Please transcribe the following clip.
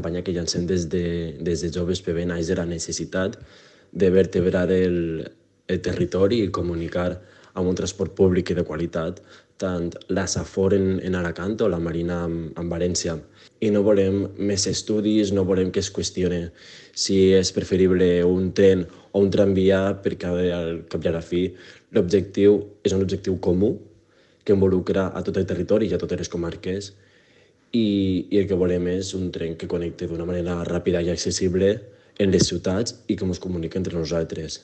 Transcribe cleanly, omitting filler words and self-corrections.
campanya que llancem des de Joves PB naix de la necessitat de vertebrar el territori i comunicar amb un transport públic i de qualitat, tant la Safor en Alacant o la Marina en València. I no volem més estudis, no volem que es qüestioni si és preferible un tren o un tramvia, perquè al cap i a la fi l'objectiu és un objectiu comú que involucra a tot el territori i a totes les comarques i el que volem és un tren que connecti d'una manera ràpida i accessible en les ciutats i que ens comuniqui entre nosaltres.